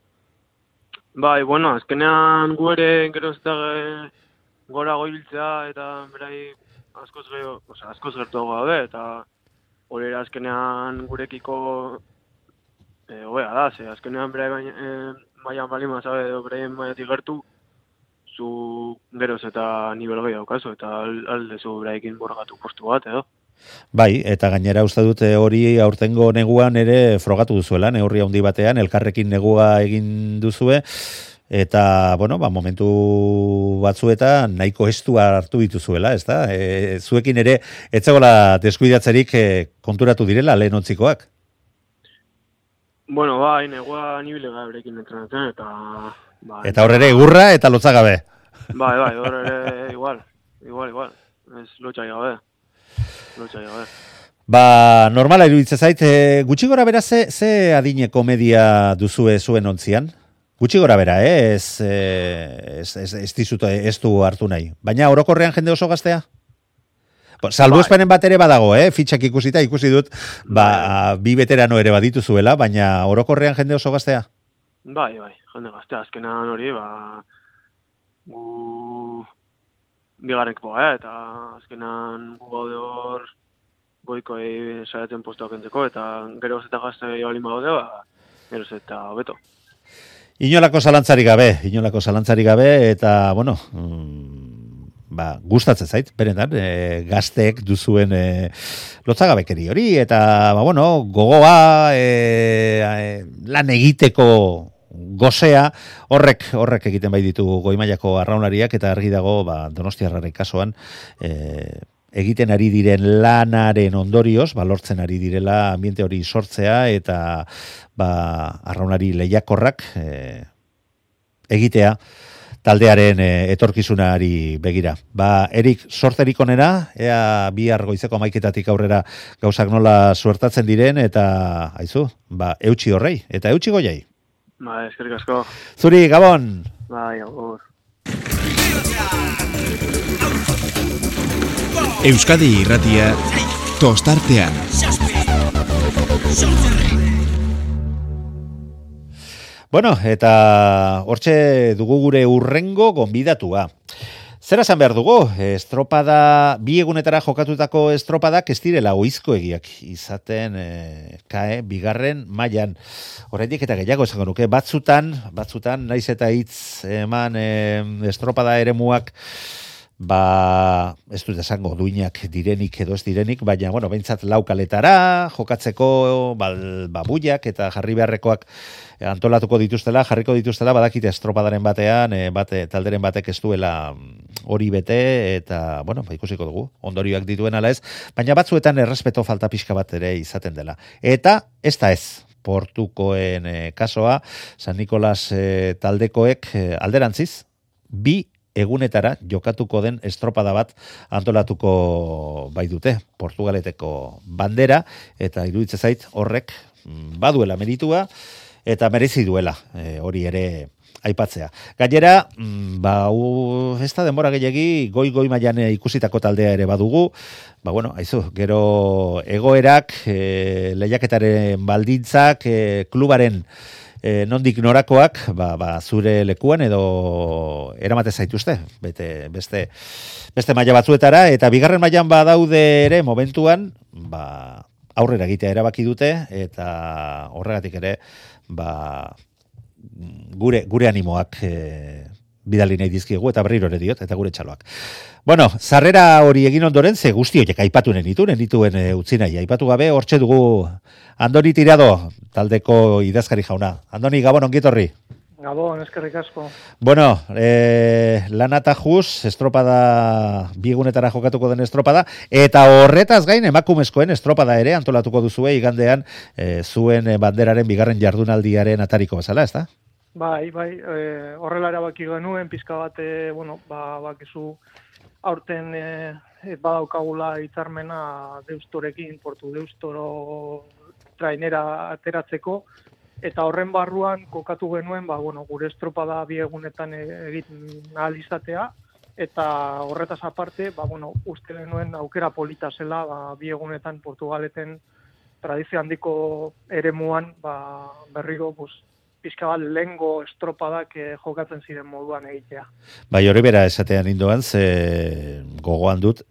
Bai, bueno, azkenean gu ere gero ez da gora goibiltzea eta berai askoz gertu gabe eta hori ere azkenean gurekiko hobea da, azkenean berai maian bali mazabe edo bereien maiatik gertu, zu geroz eta nivel gehi daukazu, eta aldezu beraikin borgatu postu bat, edo. Bai, eta gainera uste dute hori aurtengo neguan ere frogatu duzuela, neurri handi batean, elkarrekin negua egin duzue, eta, bueno, momentu batzuetan nahiko estua hartu dituzuela, ez da? Zuekin ere, etzegola deskuidatzerik konturatu direla lehen ontzikoak? Bueno, bai, negua nibile gaberekin entrenatzen, eta... Eta hor ere egurra eta lotza gabe. Bai, hor ere igual. Ez lotxai gabe. Normala iruditzen zait, gutxi gora bera ze adineko media duzue zuen ontzian? Gutxi gora bera, ez du hartu nahi. Baina orokorrean jende oso gaztea? Salbu espenen bat ere badago, fitxak ikusi dut, bi veterano ere badituzuela, baina orokorrean jende oso gaztea? Bai, jende gaztea, azkenan hori, gu bigarrenko, eta azkenan gu gaude hor goikoi saiatzen postuak entzeko, eta geroz eta gazte balin badaude, geroz eta hobeto. Inolako zalantzarik gabe, eta, bueno, gustatzen zait, berendan, gazteek duzuen lotzagabekeri hori, eta, gogoa, lan egiteko gozea, horrek egiten bai ditu goi-mailako arraunlariak, eta argi dago, Donostiarraren kasuan, egiten ari diren lanaren ondorioz, lortzen ari direla ambiente hori sortzea, eta arraunlari lehiakorrak egitea, taldearen etorkizunari begira. Erik, sorterik onena, ea bihar goizeko 11:00 aurrera gauzak nola suertatzen diren, eta haizu, eutsi horrei, eta eutsi goiai. Eskerrik asko. Zuri, Gabon! Agur. Euskadi Irratia, tostartean. Bueno, eta hortxe dugu gure urrengo gonbidatua. Zer esan behar dugu? Estropada, bi egunetara jokatutako estropadak ez direla oizkoegiak izaten bigarren mailan. Oraindik eta gehiago esango nuke, batzutan naiz eta hitz eman estropada eremuak ez dut esango duinak direnik edo ez direnik, baina, behintzat laukaletara, jokatzeko babuiak eta jarri beharrekoak antolatuko dituztela, jarriko dituztela, badakite estropadaren batean, talderen batek ez duela hori bete, eta, ikusiko dugu, ondorioak dituen ala ez, baina batzuetan errespeto falta pixka bat ere izaten dela. Eta, ez da ez, Portukoen kasoa, San Nikolas taldekoek alderantziz, bi egunetara jokatuko den estropada bat antolatuko bai dute Portugaleteko bandera, eta iruditzen zait horrek baduela meritua eta merezi duela hori ere aipatzea. Gainera, ez da denbora gehiagi goi mailan ikusitako taldea ere badugu, aizu, gero egoerak, lehiaketaren baldintzak, klubaren nondik norakoak, zure lekuan edo eramate zaituzte, beste maila batzuetara, eta bigarren mailan badaude ere momentuan, aurrera egitea erabaki dute, eta horregatik ere, gure animoak bidali nahi dizkiegu, eta berriro ere diot, eta gure txaloak. Bueno, sarrera hori egin ondoren, ze guzti horiek aipatu nenituen utzi nahi, aipatu gabe, hortxe dugu Andoni Tirado, taldeko idazkari jauna. Andoni, Gabon, ongietorri. Gabon, eskerrik asko. Bueno, Lanata Jus, estropada, biegunetara jokatuko den estropada, eta horretaz gain emakumezkoen estropada ere antolatuko duzue igandean zuen banderaren bigarren jardunaldiaren atariko bezala, ezta? Bai, horrela erabaki genuen, pizka bat, bakizu aurten badaukagula hitzarmena Deustorekin, Portu Deustoro trainera ateratzeko, eta horren barruan kokatu genuen, gure estropada bi egunetan egiten ahal izatea, eta horretaz aparte, uste genuen aukera polita zela, bi egunetan Portugaleten tradizio handiko eremuan, berriro, pizka bat lehengo estropadak jokatzen ziren moduan egitea. Bai, hori bera esatean indoan, ze gogoan dut,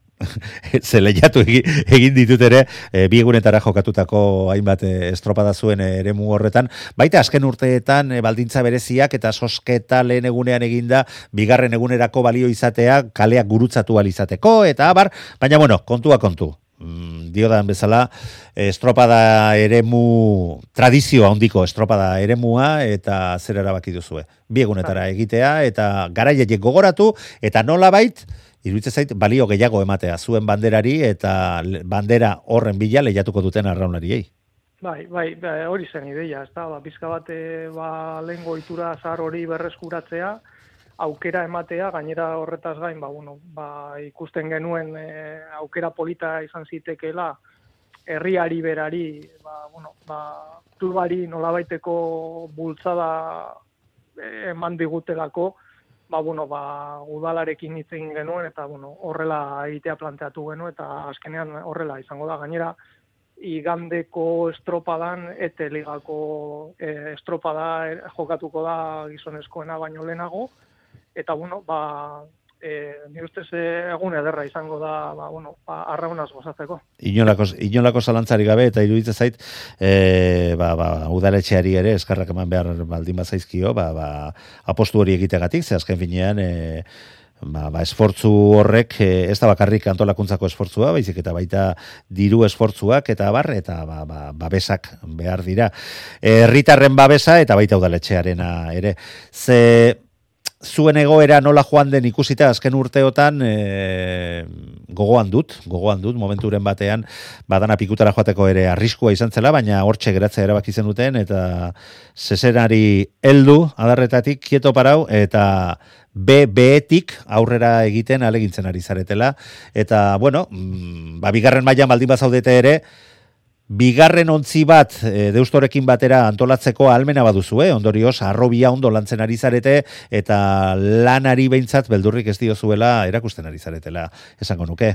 ze lehiatu egin ditut ere, bi egunetara jokatutako hainbat estropada zuen eremu horretan, baita azken urteetan baldintza bereziak eta sosketa lehen egunean eginda, bigarren egunerako balio izatea, kaleak gurutzatu alizateko, eta abar, baina kontua kontu. Diodan bezala, estropada eremu, tradizioa handiko estropada eremua, eta zer erabaki duzue. Bi egunetara egitea, eta garaiek gogoratu, eta nolabait, iruditzen zait, balio gehiago ematea zuen banderari, eta bandera horren bila lehiatuko duten arraunlariei. Bai, hori zen ideia, ez da, pizka bat lehengo itura zahar hori berreskuratzea, aukera ematea, gainera horretaz gain, ikusten genuen aukera polita izan zitekeela, herriari berari, klubari nolabaiteko bultzada eman digutelako, udalarekin hitz egin genuen, eta horrela egitea planteatu genuen, eta azkenean horrela izango da. Gainera, igandeko estropadan, ete ligako estropada jokatuko da gizonezkoena baino lehenago, eta nire ustez egun ederra izango da, arraunaz gozatzeko. Inolako zalantzari gabe, eta iruditzen zait, udaletxeari ere eskarrak eman behar baldin bazaizkio, apostu hori egitegatik, ze azken finean, esfortzu horrek, ez da bakarrik antolakuntzako esfortzua, baizik eta baita diru esfortzuak, eta babesak behar dira. Herritarren babesa, eta baita udaletxearena ere. Zuen egoera nola joan den ikusita azken urteotan gogoan dut momenturen batean badana pikutara joateko ere arriskua izan zela, baina hortxe geratzea erabaki zen duten, eta zezenari heldu adarretatik kieto parau, eta beetik aurrera egiten alegintzen ari zaretela, eta bigarren mailan baldin bazaudete ere, bigarren ontzi bat Deustorekin batera antolatzeko ahalmena baduzu, ondorioz, arrobia ondo lantzen ari zarete, eta lanari behintzat beldurrik ez diozuela erakusten ari zaretela, esango nuke.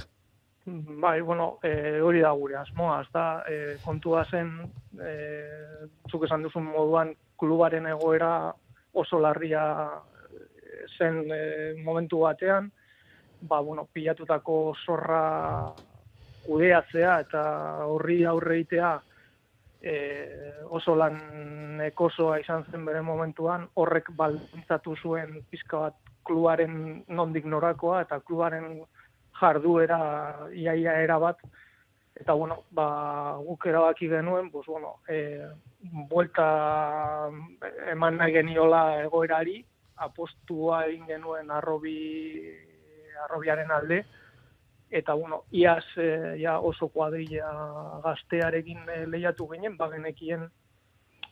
Bai, hori da gure asmoa, ez da, kontua zen, zuk esan duzun moduan, klubaren egoera oso larria zen momentu batean, pilatutako zorra kudeatzea eta horri aurre egitea oso lan ekosoa izan zen bere momentuan, horrek baldintzatu zuen pizka bat klubaren nondik norakoa eta klubaren jarduera iaia erabat, eta guk erabaki genuen, buelta eman nahi geniola egoerari, apostua egin genuen arrobiaren alde, eta iaz oso kuadrilla gaztearekin lehiatu ginen, bagenekien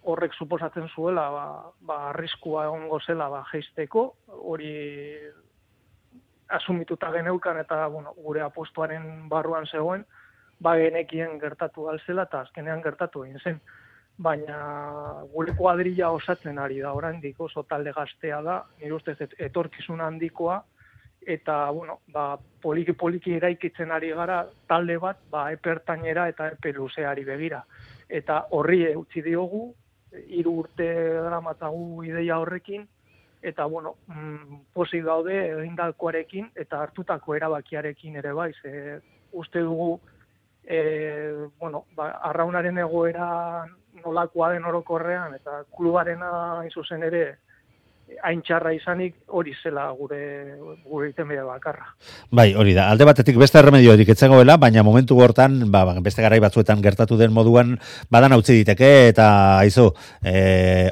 horrek suposatzen zuela, arriskua egongo zela jeisteko, hori asumituta geneukan, eta gure apostuaren barruan zegoen, bagenekien gertatu alzela, eta azkenean gertatu egin zen. Baina gure kuadrilla osatzen ari da oraindik, oso talde gaztea da, nire ustez etorkizun handikoa, eta, poliki eraikitzen ari gara talde bat, epertainera eta epe luzeari begira. Eta horri utzi diogu, 3 urte daramatzagu ideia horrekin, eta, pozik gaude egindakoarekin eta hartutako erabakiarekin ere bai, uste dugu, arraunaren egoera nolakoa den orokorrean, eta klubarena zuzen ere hain txarra izanik hori zela gure itenbide bakarra. Bai, hori da. Alde batetik beste erremediorik etzegoela, baina momentu hortan, beste garai batzuetan gertatu den moduan badan utzi diteke eta aizu,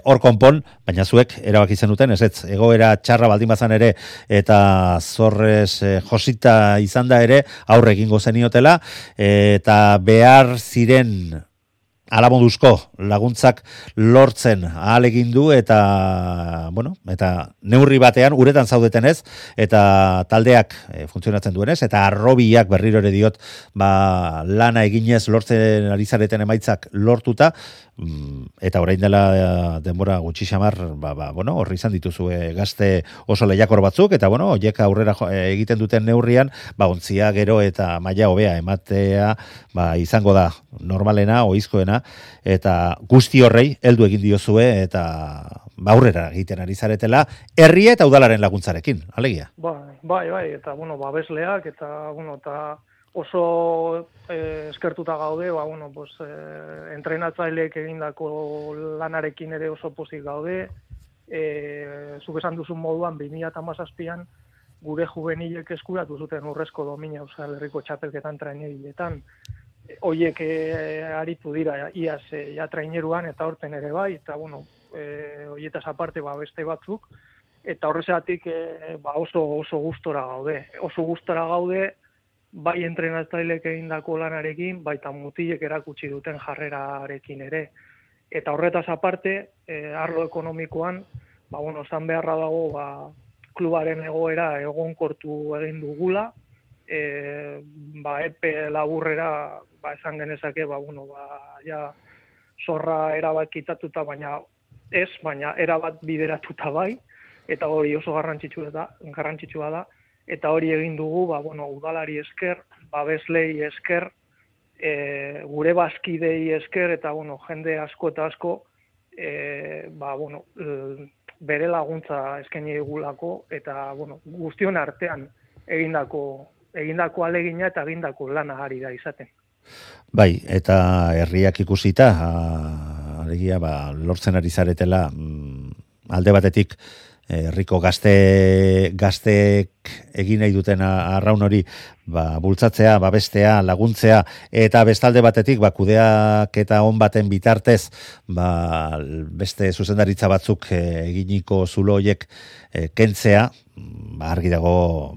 hor konpon, baina zuek erabaki zenuten, ez egoera txarra baldin bazan ere eta zorrez josita izan da ere aurre egingo zeniotela eta behar ziren alaboduzko laguntzak lortzen ahalegin du eta neurri batean uretan zaudetenez eta taldeak funtzionatzen duenez eta arrobiak berriro ere diot lana eginez lortzen ari zareten emaitzak lortuta eta orain dela denbora gutxi xamar horri izan dituzue gazte oso lehiakor batzuk eta horiek aurrera egiten duten neurrian ontzia gero eta maila hobea ematea izango da normalena ohizkoena eta guzti horrei heldu egin diozue eta aurrera egiten ari zaretela herria eta udalaren laguntzarekin, alegia. Bai, eta babesleak eta oso eskertuta gaude, entrenatzaileek egindako lanarekin ere oso pozik gaude. Zuk esan duzun moduan 2017an gure juvenilek eskuratu zuten urrezko domina Euskal Herriko txapelketan trainegiletan. Hoiek aritu dira iaz traineruan eta horten ere bai, eta hoietaz aparte beste batzuk, eta horrezatik oso gustora gaude. Oso gustora gaude bai entrenatzailek egindako lanarekin, baita mutilek erakutsi duten jarrerarekin ere. Eta horretaz aparte, arlo ekonomikoan, esan beharra dago, klubaren egoera egonkortu egin dugula, epe laburrera, esan genezake, zorra erabat kitatuta, baina erabat bideratuta bai, eta hori oso garrantzitsua da, eta hori egin dugu, udalari esker, babeslei esker, gure bazkidei esker, eta jende asko eta asko, bere laguntza eskaini digulako, eta guztion artean egindako alegina eta egindako lana ari da izaten. Bai, eta herriak ikusita, alegia, lortzen ari zaretela, alde batetik, herriko gazteek egin nahi duten arraun hori bultzatzea, babestea, laguntzea eta bestalde batetik kudeaketa on baten bitartez beste zuzendaritza batzuk eginiko zulo horiek kentzea, argi dago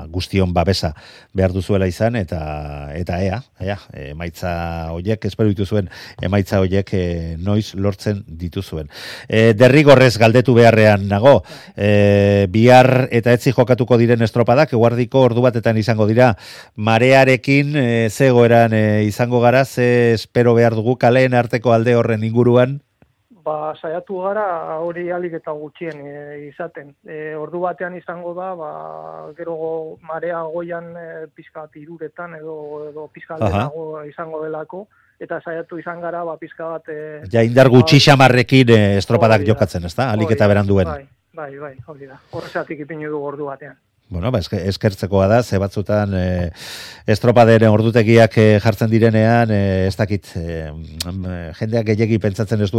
guztion babesa behar duzuela izan eta ea, emaitza horiek, espero dituzuen emaitza horiek noiz lortzen dituzuen. Derrigorrez galdetu beharrean nago, bihar eta etzi jokatuko diren estropadak, eguardiko ordu batetan izango dira, marearekin zegoeran izango gara, ze espero behar dugu kaleen arteko alde horren inguruan? Saiatu gara hori alik eta gutxien izaten. Ordu batean izango da, gero marea goian pizka bat iruretan edo pizka aldenago izango delako, eta saiatu izan gara pizka bat... Ja indar gutxi xamarrekin estropadak jokatzen, ez da? Alik eta beranduen. Bai, hori da. Horrezatik ipinu du ordu batean. Bueno, eskertzekoa da, ze batzutan estropaderen ordutegiak jartzen direnean, ez dakit, jendeak gehiegi pentsatzen ez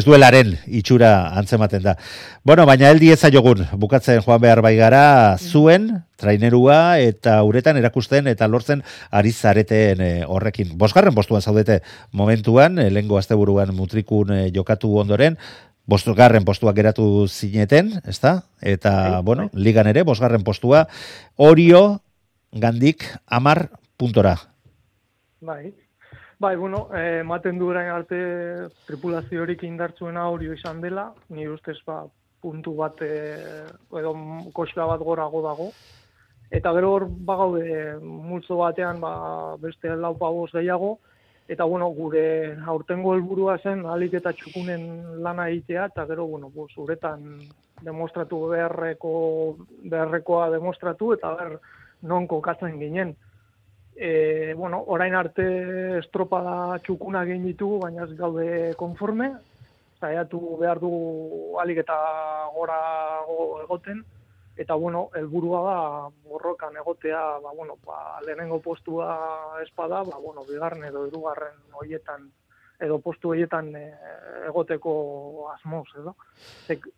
duelaren itxura antzematen da. Bueno, baina heldi ezaiogun, bukatzen joan behar bai gara, zuen, trainerua eta uretan erakusten eta lortzen ari zareten horrekin. 5. postuan zaudete momentuan, lehengo asteburuan mutrikun jokatu ondoren, 5. postua geratu zineten, ezta? Eta, ligan ere, 5. postua, Orio gandik 10 puntora. Bai, ematen du orain arte tripulaziorik indartzuena Orio izan dela, ni ustez puntu bat edo koxka bat gorago dago. Eta gero hor bagaude multzo batean beste 4-5 gehiago, eta gure aurtengo helburua zen ahalik eta txukunen lana egitea, eta gero uretan demostratu beharrekoa demostratu, eta non kokatzen ginen. Orain arte estropada txukuna egin ditugu, baina ez gaude konforme, saiatu behar dugu ahalik eta gorago egoten, eta helburua da borrokan egotea, lehenengo postua espada, bigarren edo hirugarren horietan edo postu horietan egoteko asmoz, edo.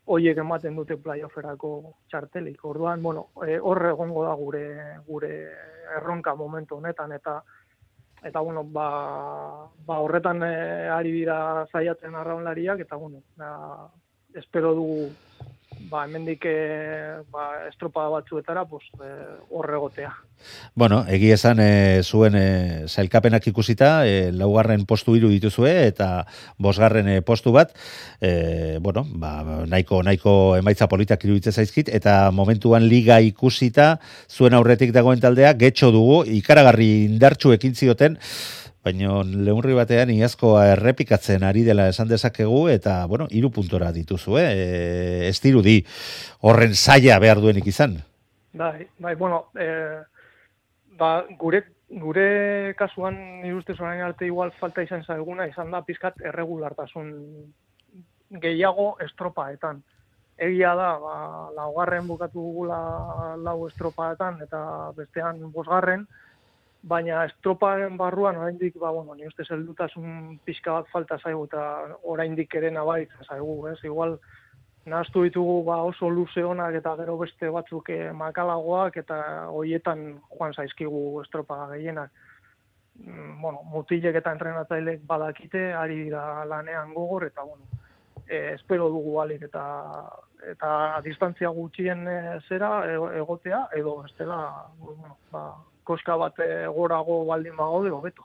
Horiek ematen dute playofferako txartelik. Orduan, bueno, hor egongo da gure erronka momentu honetan, eta bueno, horretan ari dira zaiatzen arraunlariak, eta bueno, espero dugu hemendik estropada batzuetara hor egotea. Bueno, egia esan zuen sailkapenak ikusita, laugarren postu 3 dituzue eta 5. postu bat, bueno, nahiko emaitza politak iruditzen zaizkit, eta momentuan liga ikusita zuen aurretik dagoen taldea getxo dugu, ikaragarri indartsu ekin zioten, baina leunri batean iazkoa errepikatzen ari dela esan dezakegu, eta, bueno, 3 puntora dituzu, ez dirudi horren zaila behar duenik izan. Bai, bueno, gure kasuan nire ustez orain arte igual falta izan zaiguna, izan da pizkat erregulartasun gehiago estropaetan. Egia da, 4. bukatu dugula 4 estropaetan, eta bestean 5. Baina estropaen barruan oraindik ni ustez heldutasun pixka bat falta zaigu eta oraindik ere nabaritza zaigu, ez? Igual nahaztu ditugu oso luze onak eta gero beste batzuk makalagoak eta hoietan joan zaizkigu estropa gehienak. Bueno, mutilek eta entrenatzailek badakite, ari dira lanean gogor eta espero dugu alik eta distantzia gutxien egotea edo bestela koska bat gorago baldin bagaude hobeto.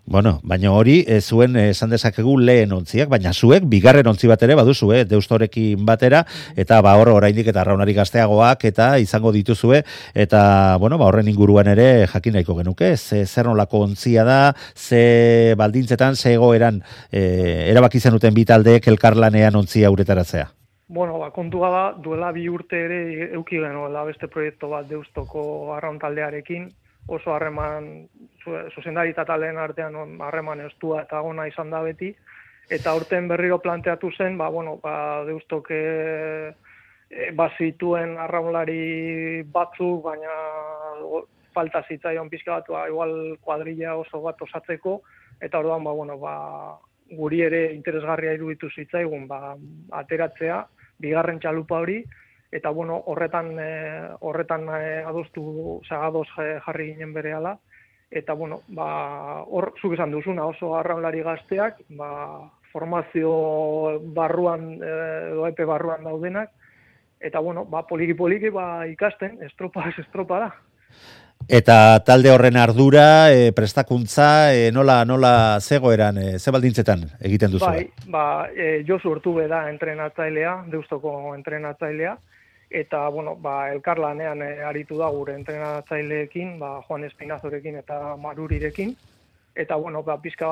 Bueno, baina hori zuen esan dezakegu lehen ontziak, baina zuek 2. ontzi bat ere baduzue, Deustorekin batera, eta hor oraindik eta arraunari gazteagoak eta izango dituzue, eta horren inguruan ere jakin nahiko genuke, zer nolako ontzia da, ze baldintzetan, ze egoeran erabaki zenuten bi taldeek elkarlanean ontzia uretaratzea. Bueno, kontua da, duela 2 urte ere euki genuela beste proiektu bat Deustoko arraun taldearekin, oso harreman, zuzendari eta taldeen artean harreman estua eta gona izan da beti, eta urten berriro planteatu zen, Deustok bazituen arraunlari batzuk, baina falta zitzaion pixka bat, igual kuadrilla oso bat osatzeko, eta orduan, guri ere interesgarria iruditu zitzaigun, ateratzea, 2. txalupa hori, eta horretan adostu ados jarri ginen berehala, eta hor zuk esan duzuna oso arraunlari gazteak, formazio barruan edo epe barruan daudenak, eta poliki ikasten, estropa da. Eta talde horren ardura, prestakuntza, nola zegoeran, ze baldintzetan egiten duzu? Josu Ortube da entrenatzailea, Deustoko entrenatzailea, eta, elkarlanean aritu da gure entrenatzaileekin, Juan Espinazorekin eta Marurirekin, eta, pizka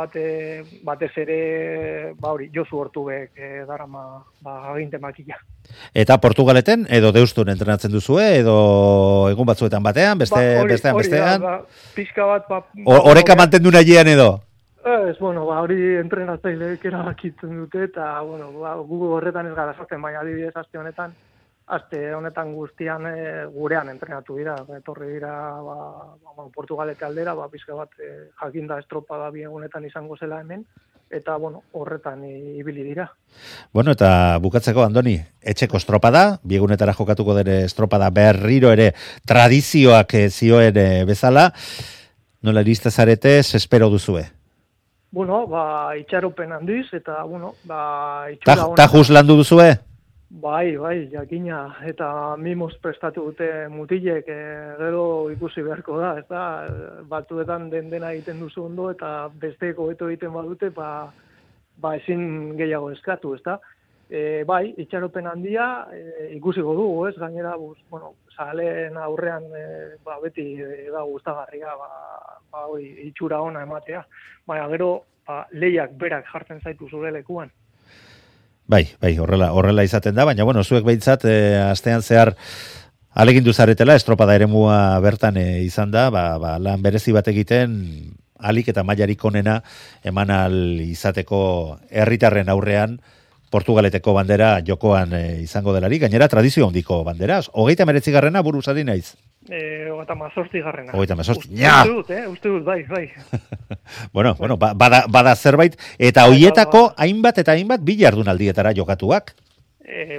batez ere, Josu Ortubek darama aginte makila. Eta Portugaleten, edo Deustun entrenatzen duzue, edo egun batzuetan batean, bestean? Pizka bat... Horeka mantendu nahiean edo? Ez, hori entrenatzaileek erabakitzen dute, eta, gu horretan ez gara sartzen, baina adibidez aste honetan guztian gurean entrenatu dira, etorri dira Portugalete aldera, pizka bat jakinda estropada bi egunetan izango zela hemen, eta horretan ibili dira. Eta bukatzeko, Andoni, etxeko estropada, bi egunetara jokatuko den estropada berriro ere tradizioak zioen bezala, nola iriste zarete, espero duzue? Itxaropen handiz, eta, itxura... Tajuz landu duzue? Bai, jakina, eta mimos prestatu dute mutilek, gero ikusi beharko da, ez da, batzuetan dena egiten duzu ondo, eta besteko hobeto egiten badute, ezin gehiago eskatu, ez da. Itxaropen handia, ikusiko dugu, ez, gainera, zaleen aurrean, beti da gustagarria, itxura ona ematea, baina gero, lehiak berak jartzen zaitu zure lekuan. Bai, horrela izaten da, baina, zuek behintzat, astean zehar alegindu zaretela, estropada eremua bertan izan da, lan berezi bat egiten, alik eta mailarik onena eman al izateko herritarren aurrean, Portugaleteko bandera jokoan izango delari, gainera tradizio handiko bandera, 39. buruz ari naiz. 38. 38. Uste dut, bai. Bueno, bada zerbait, eta hoietako hainbat bi jardunaldietara jokatuak.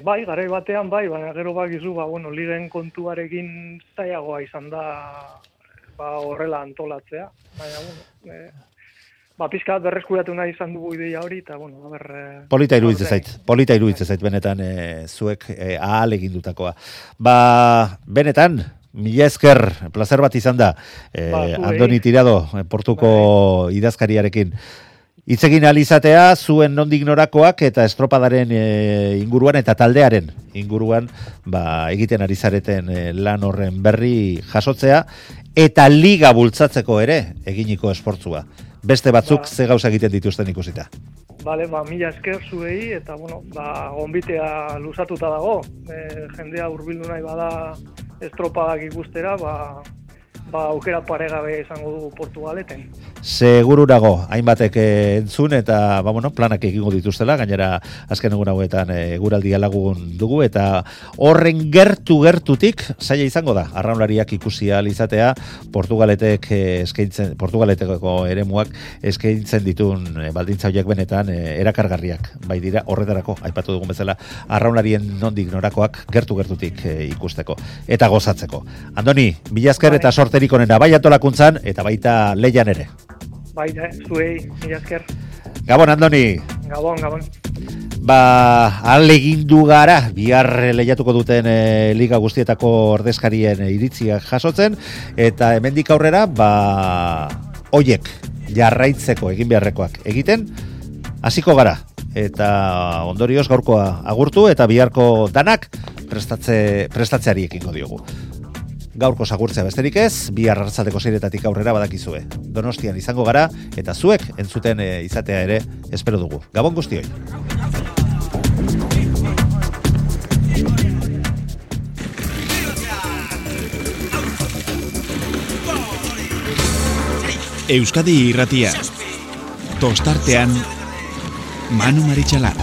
Bai, garai batean bai, baina gero bakizu, ligen kontuarekin zailagoa izan da horrela antolatzea. Baina, pizkat berreskuratu nahi izan dugu ideia hori, eta, Polita iruditzen zait, benetan, zuek ahal egindutakoa. Benetan, mila esker, placer bat izan da, Andoni Tirado, Portuko idazkariarekin. Itzegin alizatea, zuen nondik norakoak eta estropadaren inguruan eta taldearen inguruan egiten ari zareten lan horren berri jasotzea, eta liga bultzatzeko ere eginiko esportzua. Beste batzuk ze gauza egiten dituzten ikusita. Bale, mila esker zuei, eta, gonbitea luzatuta dago. Jendea hurbildu nahi bada estropadak ikustera, aukera paregabe izango dugu Portugaleten. Seguru nago, hainbatek entzun eta planak egingo dituztela, gainera azken egun hauetan eguraldia lagun dugu, eta horren gertutik zaila izango da, arraunlariak ikusi ahal izatea, Portugaleteko eremuak eskaintzen ditun baldintza horiek benetan erakargarriak, bai dira horretarako, aipatu dugun bezala, arraunlarien nondik norakoak gertutik ikusteko, eta gozatzeko. Andoni, mila esker eta sorterik onena, bai antolakuntzan eta baita leian ere. Bai, zuei, mila esker. Gabon, Andoni. Gabon. Alegindu gara, bihar lehiatuko duten liga guztietako ordezkarien iritziak jasotzen, eta hemendik aurrera, hoiek jarraitzeko egin beharrekoak egiten, hasiko gara. Eta ondorioz gaurkoa agurtu, eta biharko danak prestatzeari ekingo diogu. Gaurko sagurtzea besterik ez, bihar arratsaldeko 6:00 aurrera badakizue. Donostian izango gara, eta zuek entzuten izatea ere espero dugu. Gabon guztioi. Euskadi Irratia. Tostartean Manu Maritxalar.